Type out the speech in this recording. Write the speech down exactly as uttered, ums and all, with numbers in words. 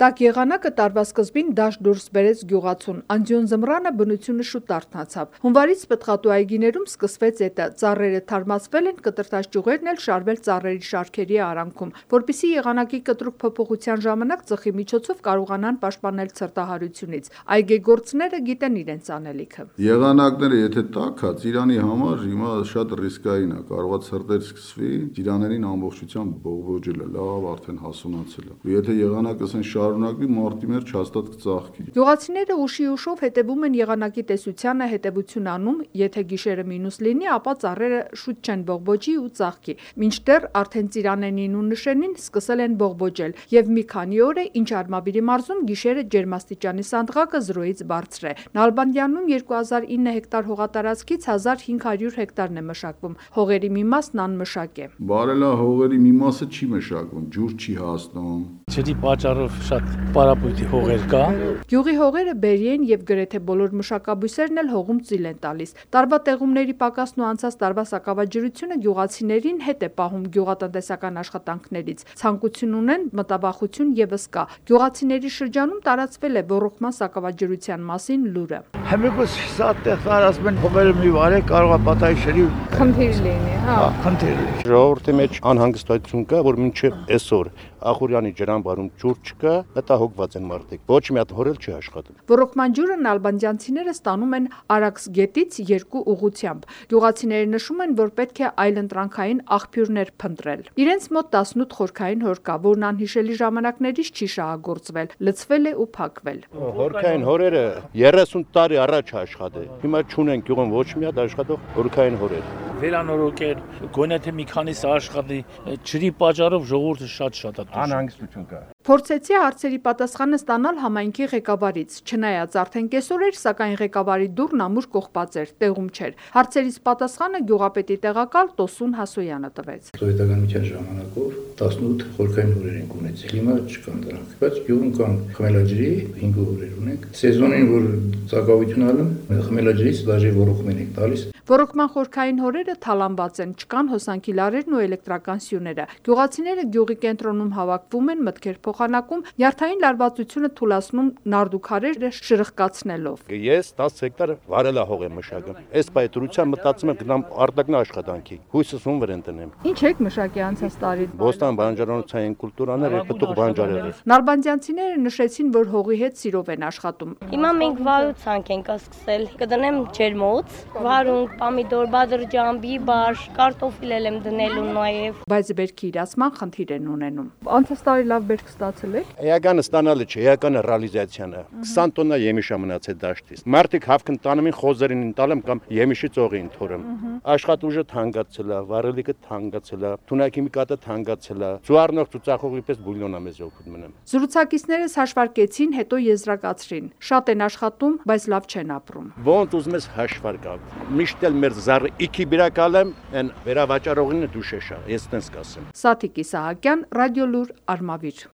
Տաք եղանակը տարվա սկզբին դաշտ դուրս բերեց գյուղացուն, անդյուն զմռանը բնությունը շուտ արթնացավ։ Հունվարից պտղատու այգիներում սկսվեց էտը, ծառերը թարմացվել են, կտրտած ճյուղերն էլ շարվել ծառերի շարքերի արանքում, որպեսզի եղանակի կտրուկ փոփոխության ժամանակ ծխի միջոցով կարողանան պաշտպանել ցրտահարությունից։ Այգեգործները գիտեն իրենց անելիքը։ Եղանակները եթե տաք է, ծիրանի համար հիմա շատ ռիսկային է, կարող է ցրտեր սկսվի, ծիրաներին ամբողջությամբ բողբոջելը, լավ արդեն հասունացել է։ Եթե եղանակը ասեն շարունակվի, մարտի մեջ հաստատ կծաղկի։ Գյուղացիները ուշի ուշով հետևում են եղանակի տեսությանը, հետևություն անում, եթե գիշերը մինուս լինի, ապա ծառերը շուտ չեն բողբոջի ու ծաղկի։ Մինչդեռ արդեն ծիրանենին ու նշենին սկսել են բողբոջել, եւ մի քանի օր է, ինչ Արմավիրի մարզում գիշերը ջերմաստիճանի սանդղակը զրոյից բարձր է։ Նալբանդյանում երկու հազար ինը հեկտար հողատարածքից հազար հինգ հարյուր հեկտարն է մշակվում։ Հողերի մի մասն անմշակ է։ Բարելա հողերի մի մասը չի մշակվում, ջուր չի հասնում։ Ջրի պատճառով շատ պարապույտի հողեր կա։ Գյուղի հողերը բերի են եւ գրեթե բոլոր մշակաբույսերն էլ հողում ծիլ են տալիս։ Տարվա տեղումների պակասն ու անցած տարվա սակավաջրությունը գյուղացիներին հետ է պահում գյուղատնտեսական աշխատանքներից։ Ցանկություն ունեն, մտավախություն եւս կա։ Գյուղացիների շրջանում տարածվել է ոռոգման սակավաջրության մասին լուրը։ Համեկոս սատեղ տարածում են հողերը մի վարե կարող է պատահի Խնդիր լինի, հա։ Խնդիր լինի։ Ժողովրդի մեջ անհանգստություն կա, որ մինչև այսօր Ախուրյանի ջրամբարում ջուր չկա, մտահոգված են մարդիկ։ Ոչ մի հատ հորել չի աշխատում։ Ոռոգման ջուրը նալբանդյանցիները ստանում են Արաքս գետից երկու ուղղությամբ։ Գյուղացիները նշում են, որ պետք է այլընտրանքային աղբյուրներ փնտրել։ Իրենց մոտ տասնութ խորքային հոր կա, որն անհիշելի ժամանակներից չի շահագործվել, լցվել է ու փակվել։ Հորքային հորերը երեսուն տարի առաջ աշխատել։ Հիմա չունեն գյուղում ոչ մի հատ աշխատող հորքային հորեր։ Վերանորոգել, գոնե թե մի քանիսը աշխատի, ջրի պատճառով ժողովուրդը շատ-շատ է դժվար։ Անհանգստություն կա։ Փորձեցի հարցերի պատասխանը ստանալ համայնքի ղեկավարից, չնայած արդեն կեսօր էր, սակայն ղեկավարի դուռն ամուր կողպած էր, տեղում չէր։ Հարցերից պատասխանը գյուղապետի տեղակալ Տոսուն Հասոյանը տվեց։ Սովետականության ժամանակով տասնութ խորքային հորեր ենք ունեցել, հիմա չկան դրանք, բայց գյուղում կան խմելաջրի հինգ հորեր ունենք։ Սեզոնին, որ ծակավություն ալում, խմելաջրից դաժե ոռոգում ենք տալիս։ Ոռոգման խորքային հորերը թալանված են, չկան հոսանքի լարերն ու էլեկտրական սյուները։ Գյուղացիները գյուղի կենտրոնում հավաքվում են, մտքեր փոխանակում, նյարդային լարվածությունը թուլացնում նարդուքարերը շրխկացնելով։ Ես տասը հեկտար վարելա հող եմ մշակում։ Այս պայտրության մտածում եմ գնամ արտակնա աշխատանքի։ Հույսս ում վրան տնեմ։ Ինչ եք մշակի անցած տարի։ Բոստան բանջարանոցային կուլտուրաներ եւ պտուղ բանջարերը։ Նալբանդյանցիները նշեցին, որ հողի հետ սիրով են աշխատում։ Հիմա մենք վարուցանք ենք սկսել։ Կդնեմ ջերմոց, վարունգ, պամիդոր, բադրջան, բիբար, կարտոֆիլ եմ դնելու նաեւ։ Բայց բերքի իրացման խնդիր են ունենում։ Անցած տարի լավ բերք ստացել եք։ Էականը ստանալը չէ, էականը ռեալիզացիան է։ քսան տոննա եմիշ մնացել դաշտից։ Մարդիկ հավքն տանում են խոզերին ընտալեմ կամ եմիշի ծողին թորում։ Աշխատուժը թանկացել է, վարելիքը թանկացել է, թունակիմիկատը թանկացել է։ Ծուառնող ծուծախողի պես բուլյոն է մեզ օգուտ մնում։ Զրուցակիցներս հաշվարկեցին, հետո եզրակացրին։ Շատ են աշխատում, բայց լավ չեն ապրում։ Ոնց ուզում ես հաշվարկա։ Միշտ էլ մեր զառը իքի բիրակալեմ, են վերավաճառողինը դուշեշա։ Ես տենց կասեմ։ Սաթիկ Իսահակյան, Ռադիոլուր, Արմավիր։